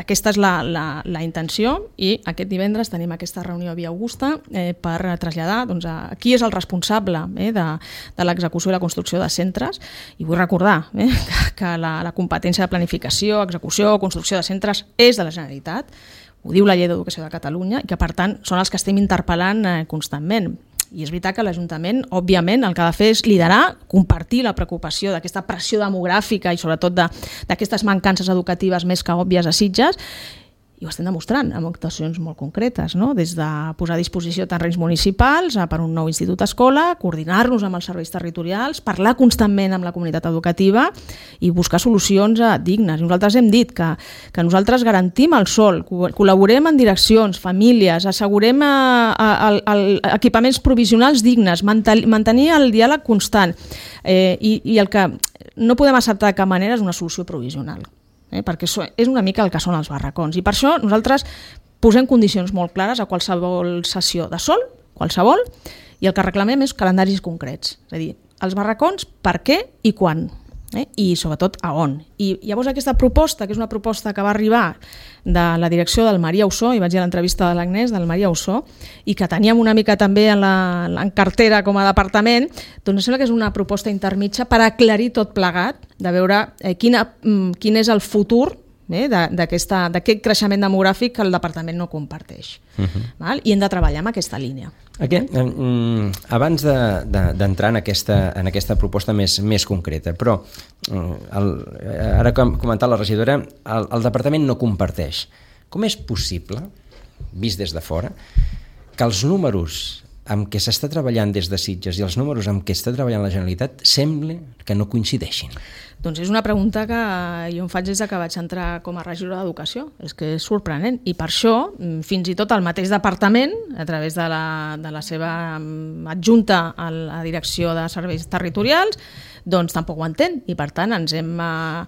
aquesta és la, la, la intenció, i aquest divendres tenim aquesta reunió a Via Augusta eh, per traslladar doncs, a qui és el responsable eh, de, de l'execució i la construcció de centres, i vull recordar eh, que, que la, la competència de planificació, execució, construcció de centres és de la Generalitat, ho diu la Llei d'Educació de Catalunya, i que per tant són els que estem interpel·lant eh, constantment. I és veritat que l'Ajuntament, òbviament, el que ha de fer és liderar, compartir la preocupació d'aquesta pressió demogràfica i sobretot d'aquestes mancances educatives més que òbvies a Sitges, i ho estem demostrant amb actuacions molt concretes, no? Des de posar a disposició terrenys municipals per un nou institut escola, coordinar-nos amb els serveis territorials, parlar constantment amb la comunitat educativa i buscar solucions dignes. Nosaltres hem dit que, que nosaltres garantim el sòl, col·laborem en direccions, famílies, assegurem a, a, a, a equipaments provisionals dignes, mantenir el diàleg constant, eh, i, i el que no podem acceptar de cap manera és una solució provisional. Eh, perquè és una mica el que són els barracons, i per això nosaltres posem condicions molt clares a qualsevol sessió de sòl, qualsevol, i el que reclamem és calendaris concrets, és a dir, els barracons per què i quan, eh? I sobretot a on. I llavors aquesta proposta, que és una proposta que va arribar de la direcció del Maria Ossó, i vaig dir a l'entrevista de l'Agnès del Maria Ossó, i que teníem una mica també en, la, en cartera com a departament, doncs sembla que és una proposta intermitja per aclarir tot plegat, de veure eh, quina, quin és el futur eh, d'aquest creixement demogràfic que el departament no comparteix. Uh-huh. Val? I hem de treballar en aquesta línia. Aquest, eh, abans d'entrar de, de, en, aquesta, en aquesta proposta més, més concreta, però el, ara com ha comentat la regidora, el, el departament no comparteix. Com és possible, vist des de fora, que els números amb què s'està treballant des de Sitges i els números amb què està treballant la Generalitat sembla que no coincideixin? Doncs és una pregunta que jo em faig des que vaig entrar com a regidora d'Educació. És que és sorprenent, i per això fins i tot el mateix departament, a través de la, de la seva adjunta a la Direcció de Serveis Territorials, doncs tampoc ho entén, i per tant ens hem eh,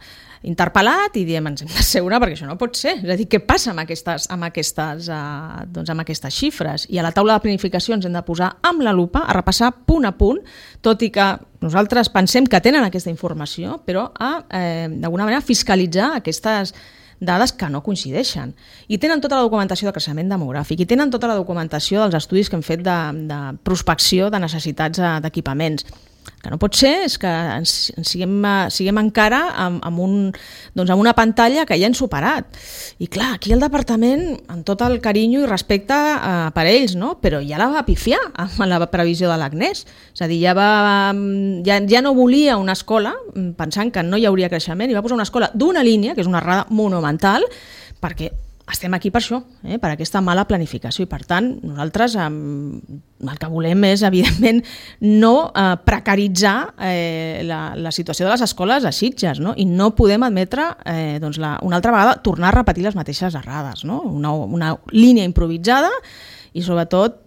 interpel·lat i diem ens hem d'asseure perquè això no pot ser. És a dir, què passa amb aquestes, amb aquestes, eh, doncs amb aquestes xifres? I a la taula de planificació ens hem de posar amb la lupa a repassar punt a punt, tot i que nosaltres pensem que tenen aquesta informació, però a, eh, d'alguna manera, fiscalitzar aquestes dades que no coincideixen. I tenen tota la documentació de creixement demogràfic, i tenen tota la documentació dels estudis que hem fet de, de prospecció de necessitats d'equipaments. Que no pot ser és que ens, ens siguem, siguem encara amb, amb, un, doncs amb una pantalla que ja hem superat. I clar, aquí el departament, amb tot el carinyo i respecte eh, per ells, no? Però ja la va pifiar amb la previsió de l'Agnès. És a dir, ja, va, ja, ja no volia una escola, pensant que no hi hauria creixement, i va posar una escola d'una línia, que és una errada monumental, perquè estem aquí per això, eh, per aquesta mala planificació, i per tant nosaltres eh, el que volem és evidentment no eh, precaritzar eh, la, la situació de les escoles a Sitges, no? I no podem admetre eh, doncs la, una altra vegada tornar a repetir les mateixes errades, no? una, una línia improvisada i sobretot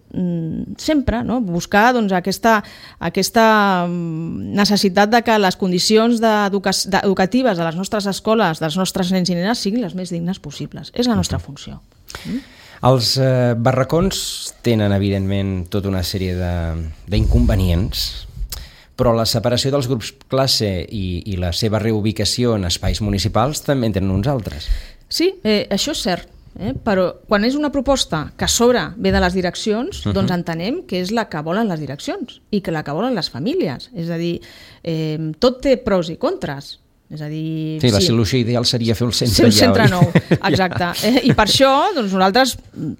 sempre no? buscar doncs, aquesta, aquesta necessitat de que les condicions educatives de les nostres escoles, dels nostres nens i nenes, siguin les més dignes possibles. És la nostra funció. Mm? Els eh, barracons tenen, evidentment, tota una sèrie d'inconvenients, però la separació dels grups classe i, i la seva reubicació en espais municipals també en tenen uns altres. Sí, eh, això és cert. Eh? Però quan és una proposta que a sobre ve de les direccions, uh-huh. doncs entenem que és la que volen les direccions i que la que volen les famílies. És a dir, eh, tot té pros i contres. És a dir, sí, la sí. solució ideal seria fer el centre, sí, el centre ja, nou, exacte. Ja. Eh, I per això doncs, nosaltres,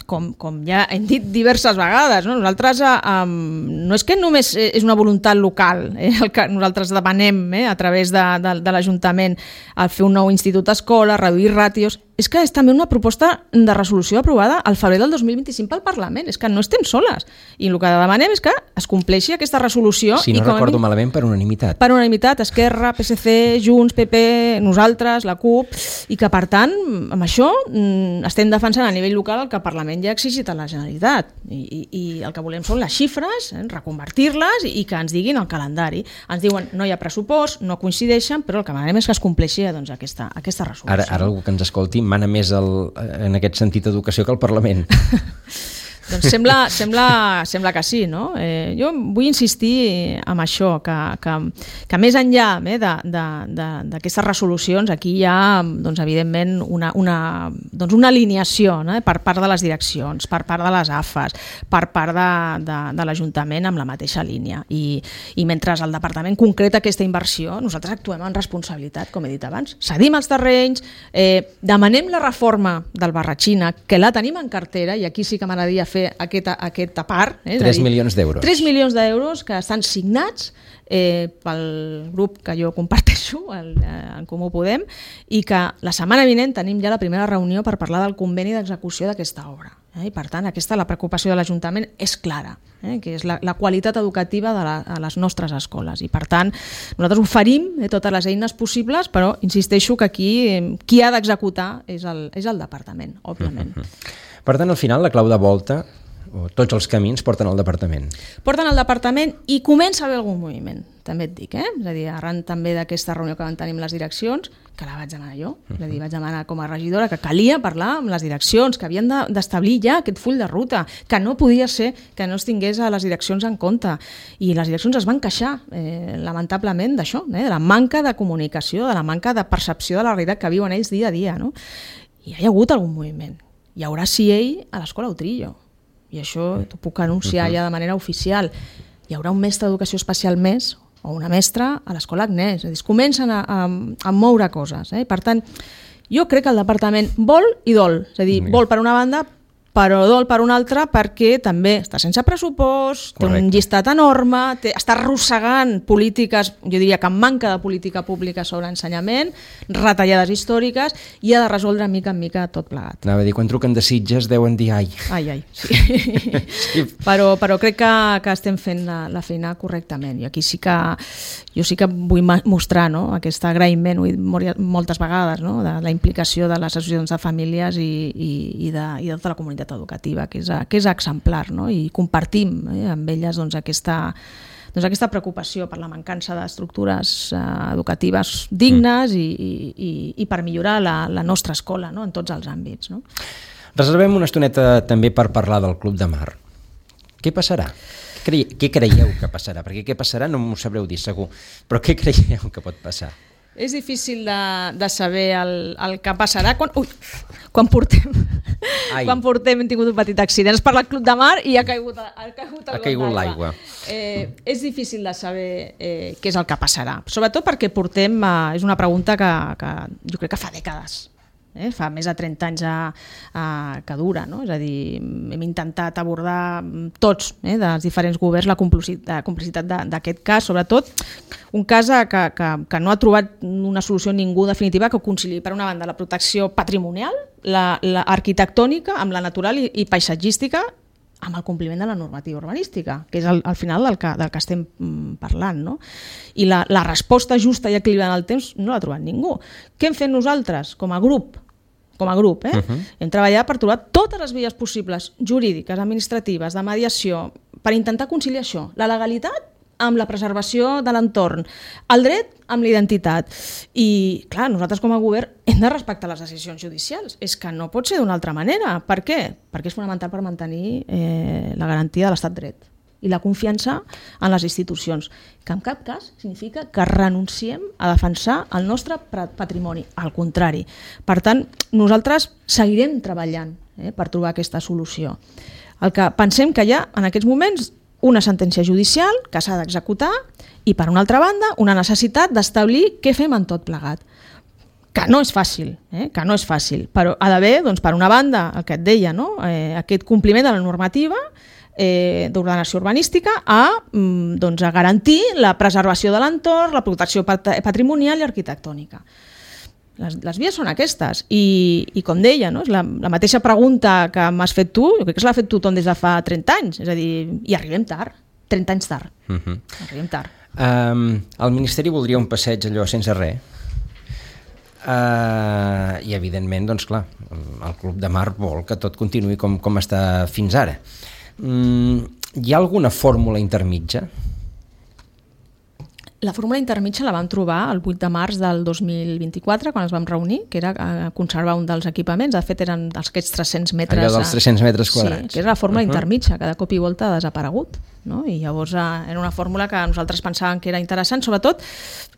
com, com ja hem dit diverses vegades, no? nosaltres eh, no és que només és una voluntat local, eh, el que nosaltres demanem eh, a través de, de, de l'Ajuntament al fer un nou institut d'escola, reduir ràtios, és que és també una proposta de resolució aprovada al febrer del dos mil vint-i-cinc pel Parlament. És que no estem soles. I el que demanem és que es compleixi aquesta resolució. Si no i, recordo mi... malament, per unanimitat. Per unanimitat, Esquerra, P S C, Junts, P P, nosaltres, la CUP, i que, per tant, amb això estem defensant a nivell local el que el Parlament ja ha exigit a la Generalitat. I, i, i el que volem són les xifres, eh, reconvertir-les i, i que ens diguin el calendari. Ens diuen no hi ha pressupost, no coincideixen, però el que demanem és que es compleixi doncs, aquesta, aquesta resolució. Ara, ara algú que ens escolti mana més el, en aquest sentit educació que el Parlament. Doncs sembla, sembla, sembla que sí, no? Eh, jo vull insistir en això, que, que, que més enllà eh, d'aquestes resolucions, aquí hi ha, doncs, evidentment, una, una, doncs una alineació no? per part de les direccions, per part de les A F As, per part de, de, de l'Ajuntament amb la mateixa línia. I, i mentre el Departament concreta aquesta inversió, nosaltres actuem en responsabilitat, com he dit abans. Cedim els terrenys, eh, demanem la reforma del Barratxina, que la tenim en cartera, i aquí sí que m'agradaria fer aquest, aquest part. Eh? tres milions d'euros. tres milions d'euros que estan signats eh, pel grup que jo comparteixo, el, eh, en Comú Podem, i que la setmana vinent tenim ja la primera reunió per parlar del conveni d'execució d'aquesta obra. Eh? I per tant, aquesta la preocupació de l'Ajuntament és clara, eh? que és la, la qualitat educativa de, la, de les nostres escoles. I per tant, nosaltres oferim eh, totes les eines possibles, però insisteixo que aquí eh, qui ha d'executar és el, és el Departament, òbviament. Mm-hmm. Per tant, al final, la clau de volta, o tots els camins, porten al Departament. Porten al Departament i comença a haver algun moviment, també et dic. Eh? És a dir, arran també d'aquesta reunió que vam tenir amb les direccions, que la vaig demanar jo, és a dir, vaig demanar com a regidora que calia parlar amb les direccions, que havien d'establir ja aquest full de ruta, que no podia ser que no es tingués a les direccions en compte. I les direccions es van queixar, eh, lamentablement, d'això, eh? de la manca de comunicació, de la manca de percepció de la realitat que viuen ells dia a dia. No? I hi ha hagut algun moviment. Hi haurà C I A a l'Escola Utrillo, i això t'ho puc anunciar ja de manera oficial. Hi haurà un mestre d'educació especial més o una mestra a l'Escola Agnès. És a dir, es comencen a, a, a moure coses. Eh? Per tant, jo crec que el Departament vol i dol. És a dir, vol per una banda, però dol per una altra perquè també està sense pressupost, té un llistat enorme, té, està arrossegant polítiques, jo diria que manca de política pública sobre ensenyament, retallades històriques, i ha de resoldre mica en mica tot plegat. Anava a dir, quan truquen de Sitges deuen dir ai. Ai, ai, sí. sí. Però, però crec que, que estem fent la, la feina correctament, i aquí sí que jo sí que vull mostrar no, aquest agraïment, ho he dit moltes vegades, no, de la implicació de les associacions de famílies i, i, i, de, i de tota la comunitat educativa, que és, que és exemplar, no? I compartim eh, amb elles doncs, aquesta, doncs, aquesta preocupació per la mancança d'estructures eh, educatives dignes mm. i, i, i per millorar la, la nostra escola, no? En tots els àmbits. No? Reservem una estoneta també per parlar del Club de Mar. Què passarà? Què, cre... què creieu que passarà? Perquè què passarà no m'ho sabreu dir segur, però què creieu que pot passar? És difícil de, de saber el, el que passarà quan, ui, quan portem quan portem hem tingut un petit accident. Has parlat Club de Mar i ha caigut, ha caigut, ha caigut l'aigua. Eh, és difícil de saber eh, què és el que passarà. Sobretot perquè portem, eh, és una pregunta que, que jo crec que fa dècades. Eh, fa més de trenta anys a, a, que dura, no? És a dir, hem intentat abordar tots, eh, dels diferents governs, la complicitat d'aquest cas, sobretot un cas que, que, que no ha trobat una solució ningú definitiva que conciliï per una banda la protecció patrimonial, la, la arquitectònica amb la natural i, i paisatgística, amb el compliment de la normativa urbanística, que és al, al final del que, del que estem parlant. No? I la, la resposta justa i equilibrada en el temps no l'ha trobat ningú. Què hem fet nosaltres com a grup? com a grup, eh? Uh-huh. Hem treballat per trobar totes les vies possibles, jurídiques, administratives, de mediació, per intentar conciliar això, la legalitat amb la preservació de l'entorn, el dret amb l'identitat. I, clar, nosaltres com a govern hem de respectar les decisions judicials. És que no pot ser d'una altra manera. Per què? Perquè és fonamental per mantenir eh, la garantia de l'estat dret i la confiança en les institucions, que en cap cas significa que renunciem a defensar el nostre patrimoni, al contrari. Per tant, nosaltres seguirem treballant eh, per trobar aquesta solució. El que pensem que hi ha en aquests moments una sentència judicial que s'ha d'executar i, per una altra banda, una necessitat d'establir què fem en tot plegat. Que no és fàcil, eh? que no és fàcil, però ha d'haver, doncs, per una banda, el que et deia, no? eh, aquest compliment de la normativa eh, d'ordenació urbanística a, doncs, a garantir la preservació de l'entorn, la protecció pat- patrimonial i arquitectònica. Les, les vies són aquestes i, i com deia, no? És la, la mateixa pregunta que m'has fet tu, jo crec que se l'ha fet tothom des de fa trenta anys, és a dir, i arribem tard, trenta anys tard, uh-huh. arribem tard. Um, el Ministeri voldria un passeig allò sense res, uh, i evidentment, doncs clar, el Club de Mar vol que tot continuï com, com està fins ara. Um, hi ha alguna fórmula intermitja? La fórmula intermitja la vam trobar el vuit de març del dos mil vint-i-quatre, quan ens vam reunir, que era conservar un dels equipaments. De fet, eren aquests tres-cents metres... Allò dels tres-cents metres quadrats. Sí, que és la fórmula uh-huh. intermitja, que de cop i volta ha desaparegut. No? I llavors era una fórmula que nosaltres pensàvem que era interessant. Sobretot,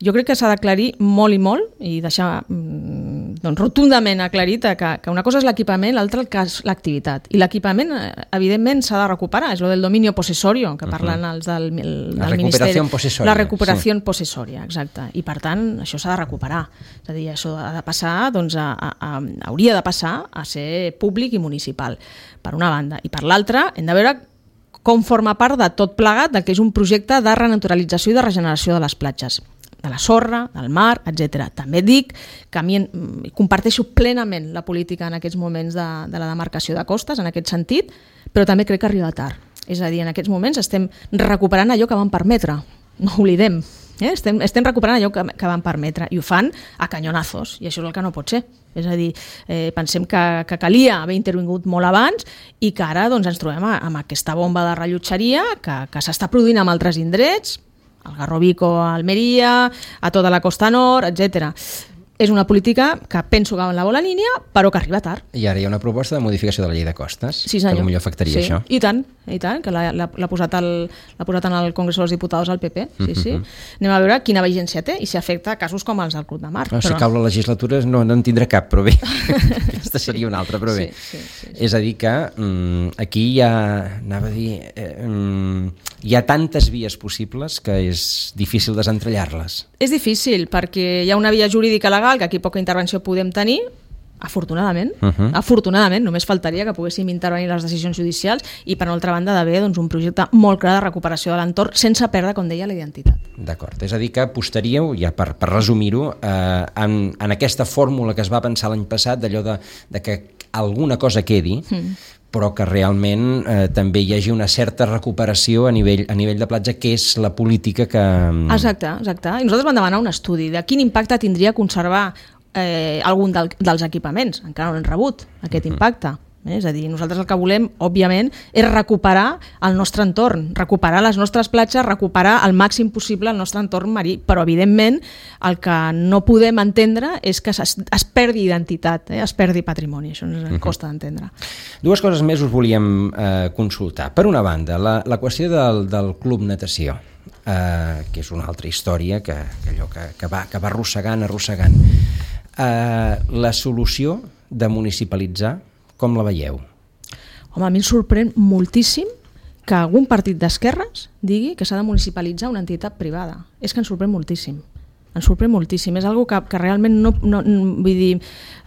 jo crec que s'ha d'aclarir molt i molt i deixar doncs, rotundament aclarit que, que una cosa és l'equipament, l'altra el que és l'activitat. I l'equipament, evidentment, s'ha de recuperar. És el del dominio possessorio, que parlen uh-huh. els del, el, la del Ministeri. Possessòria. La recuperació sí. possessòria, exacte. I per tant, això s'ha de recuperar. És a dir, això ha de passar, doncs, a, a, a, hauria de passar a ser públic i municipal, per una banda. I per l'altra, hem de veure com forma part de tot plegat del que és un projecte de renaturalització i de regeneració de les platges, de la sorra, del mar, etcètera. També dic que a mi comparteixo plenament la política en aquests moments de, de la demarcació de costes, en aquest sentit, però també crec que arriba tard. És a dir, en aquests moments estem recuperant allò que vam permetre, no oblidem. Eh? Estem, estem recuperant allò que, que van permetre i ho fan a canyonazos, i això és el que no pot ser. És a dir, eh, pensem que, que calia haver intervingut molt abans i que ara doncs, ens trobem amb aquesta bomba de rellotgeria que, que s'està produint en altres indrets, al Garrobico, a Almeria, a tota la costa nord, etcètera. És una política que penso que va en la bona línia, però que arriba tard. I ara hi ha una proposta de modificació de la llei de costes, sí, senyor. que potser afectaria sí. això. I tant, i tant, que l'ha, l'ha, posat el, l'ha posat en el Congrés dels Diputats al P P. Sí, uh-huh. sí. Anem a veure quina vigència té i si afecta casos com els del Club de Mar. No, però... Si cau la legislatura no, no en tindrà cap, però bé, aquesta seria una altra, però bé. Sí, sí, sí, sí. És a dir que mm, aquí hi ha, anava a dir, eh, mm, hi ha tantes vies possibles que és difícil desentrellar-les. És difícil, perquè hi ha una via jurídica legal que aquí poca intervenció podem tenir, afortunadament, uh-huh. afortunadament, només faltaria que poguéssim intervenir les decisions judicials i per altra banda d'haver doncs, un projecte molt clar de recuperació de l'entorn sense perdre, com deia, la identitat. D'acord, és a dir que apostaríeu, ja per, per resumir-ho, eh, en, en aquesta fórmula que es va pensar l'any passat d'allò de, de que alguna cosa quedi, mm. però que realment eh, també hi hagi una certa recuperació a nivell, a nivell de platja, que és la política que... Exacte, exacte. I nosaltres vam demanar un estudi de quin impacte tindria conservar eh, algun del, dels equipaments. Encara no hem rebut aquest impacte. Eh? És a dir, nosaltres el que volem, òbviament, és recuperar el nostre entorn, recuperar les nostres platges, recuperar al màxim possible el nostre entorn marí, però evidentment el que no podem entendre és que es, es perdi identitat, eh? es perdi patrimoni, això ens uh-huh. costa d'entendre. Dues coses més us volíem eh, consultar. Per una banda, la, la qüestió del, del Club Natació, eh, que és una altra història que, que, allò que, que, va, que va arrossegant, arrossegant. Eh, la solució de municipalitzar, com la veieu? Home, a mi em sorprèn moltíssim que algun partit d'esquerres digui que s'ha de municipalitzar una entitat privada. És que ens sorprèn moltíssim. Ens sorprèn moltíssim. És una cosa que, que realment no, no, vull dir,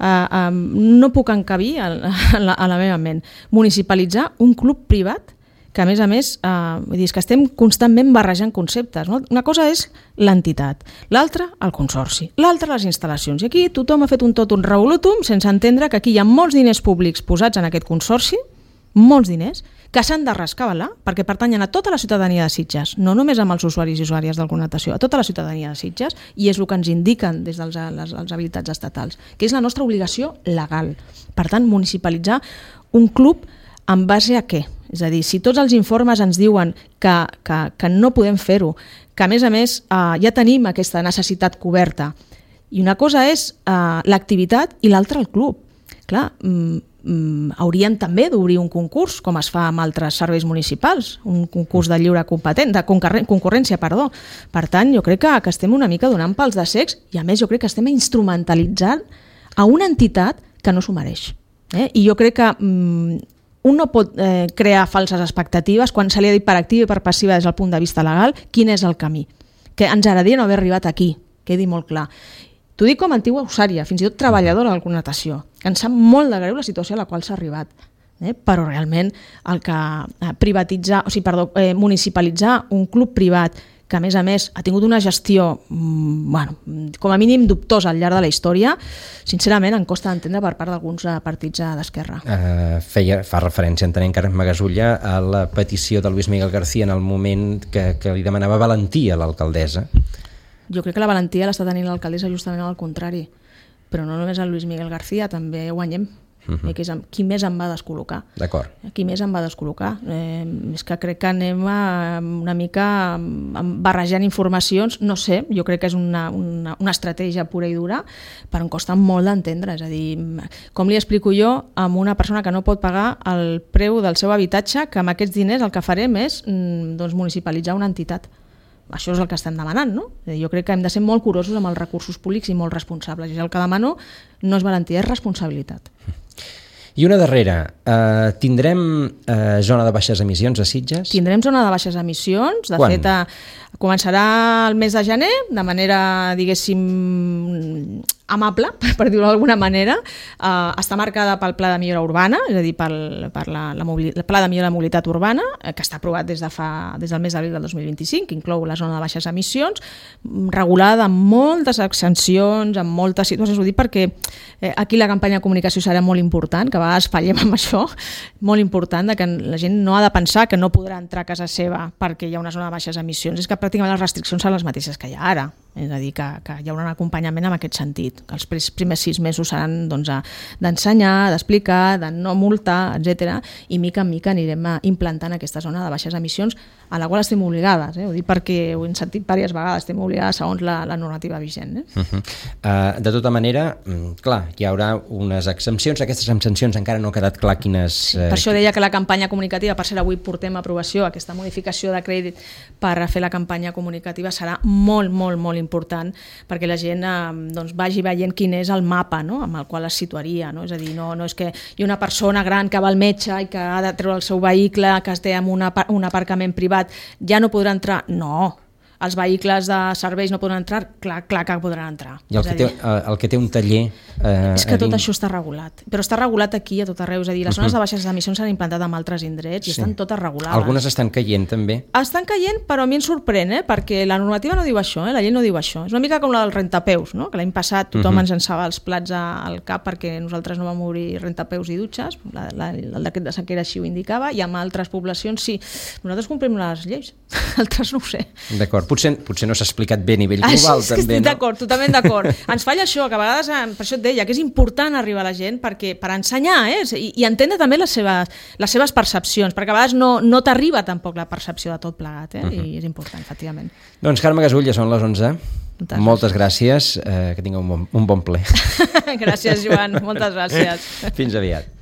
uh, uh, no puc encabir a la, a la meva ment. Municipalitzar un club privat que a més a més, eh, vull dir, és que estem constantment barrejant conceptes. No? Una cosa és l'entitat, l'altra el consorci, l'altra les instal·lacions. I aquí tothom ha fet un tot un revolutum sense entendre que aquí hi ha molts diners públics posats en aquest consorci, molts diners, que s'han de rescabalar perquè pertanyen a tota la ciutadania de Sitges, no només amb els usuaris i usuàries d'alguna natació, a tota la ciutadania de Sitges, i és el que ens indiquen des de les, les habilitats estatals, que és la nostra obligació legal. Per tant, municipalitzar un club en base a què? És a dir, si tots els informes ens diuen que, que, que no podem fer-ho, que a més a més eh, ja tenim aquesta necessitat coberta, i una cosa és eh, l'activitat i l'altra el club. Clar, mm, mm, haurien també d'obrir un concurs, com es fa amb altres serveis municipals, un concurs de lliure competent, de concurrència, perdó. Per tant, jo crec que, que estem una mica donant pals de cecs i a més jo crec que estem instrumentalitzant a una entitat que no s'ho mereix. Eh? I jo crec que mm, un no pot eh, crear falses expectatives quan se li ha dit per activa i per passiva des del punt de vista legal quin és el camí. Que ens agradaria no haver arribat aquí, quedi molt clar. T'ho dic com a antigua usuària, fins i tot treballadora de la natació, que ens sap molt de greu la situació a la qual s'ha arribat. Eh? Però realment el que privatitzar, o sigui, perdó, eh, municipalitzar un club privat que a més a més ha tingut una gestió mmm, bueno, com a mínim dubtosa al llarg de la història, sincerament em costa d'entendre per part d'alguns partits d'Esquerra. Uh, feia, fa referència, entenent Carme Gasulla, a la petició de Luis Miguel García en el moment que, que li demanava valentia a l'alcaldessa. Jo crec que la valentia l'està tenint l'alcaldessa justament al contrari, però no només el Luis Miguel García, també guanyem. Uh-huh. que és qui més em va descol·locar. D'acord. Qui més em va descol·locar. Eh, és que crec que anem a, una mica barrejant informacions, no sé, jo crec que és una, una, una estratègia pura i dura, però em costa molt d'entendre. És a dir, com li explico jo a una persona que no pot pagar el preu del seu habitatge, que amb aquests diners el que farem és doncs, municipalitzar una entitat. Això és el que estem demanant, no? Jo crec que hem de ser molt curosos amb els recursos públics i molt responsables. I el que demano no és valentia, és responsabilitat. I una darrera, eh, tindrem eh, zona de baixes emissions a Sitges? Tindrem zona de baixes emissions, de Quan? fet eh, començarà el mes de gener, de manera, diguéssim, amable, per dir-ho d'alguna manera. Uh, està marcada pel Pla de Millora Urbana, és a dir, pel, per la, la el Pla de Millora de Mobilitat Urbana, eh, que està aprovat des, de fa, des del mes d'abril del dos mil vint-i-cinc, que inclou la zona de baixes emissions, regulada amb moltes exencions, amb moltes situacions. Ho dic perquè eh, aquí la campanya de comunicació serà molt important, que a vegades fallem amb això, molt important, de que la gent no ha de pensar que no podrà entrar a casa seva perquè hi ha una zona de baixes emissions. És que pràcticament les restriccions són les mateixes que hi ha ara. És a dir, que, que hi haurà un acompanyament en aquest sentit, que els primers sis mesos seran doncs, d'ensenyar, d'explicar, de no multar, etcètera. I mica en mica anirem implantant aquesta zona de baixes emissions a la qual estem obligades. Eh? Ho dic perquè ho hem sentit diverses vegades, estem obligades segons la, la normativa vigent. Eh? Uh-huh. uh, de tota manera, clar, hi haurà unes exempcions, aquestes exempcions encara no ha quedat clar quines... Sí, per això deia que la campanya comunicativa, per ser avui portem a aprovació aquesta modificació de crèdit per fer la campanya comunicativa, serà molt, molt, molt important perquè la gent eh, doncs, vagi veient quin és el mapa, no?, amb el qual es situaria. No? És a dir, no, no és que hi ha una persona gran que va al metge i que ha de treure el seu vehicle, que es té en una, un aparcament privat, ja no podrà entrar. No, els vehicles de serveis no poden entrar, clar, clar que podran entrar. I el que, té, el que té un taller... Eh, és que tot això està regulat, però està regulat aquí a tot arreu, és a dir, les zones uh-huh. de baixes emissions s'han implantat en altres indrets i sí. estan totes regulades. Algunes estan caient també. Estan caient, però a mi em sorprèn, eh? perquè la normativa no diu això, eh? La llei no diu això. És una mica com la del rentapeus, no? Que l'any passat tothom uh-huh. ens llançava els plats al cap perquè nosaltres no vam obrir rentapeus i dutxes, la, la, el decret de sequera així ho indicava, i amb altres poblacions sí. Nosaltres complim les lleis, altres no ho sé. D'acord. Potser, potser no s'ha explicat bé a nivell global, ah, sí, també, no? D'acord, totalment d'acord. Ens falla això, que a vegades, per això et deia, que és important arribar a la gent perquè, per ensenyar eh? I, i entendre també les seves, les seves percepcions, perquè a vegades no, no t'arriba tampoc la percepció de tot plegat, eh? Uh-huh. I és important, efectivament. Doncs Carme Gasulla, són les onze. Moltes, moltes gràcies, eh, que tingueu un bon, un bon ple. Gràcies, Joan, moltes gràcies. Fins aviat.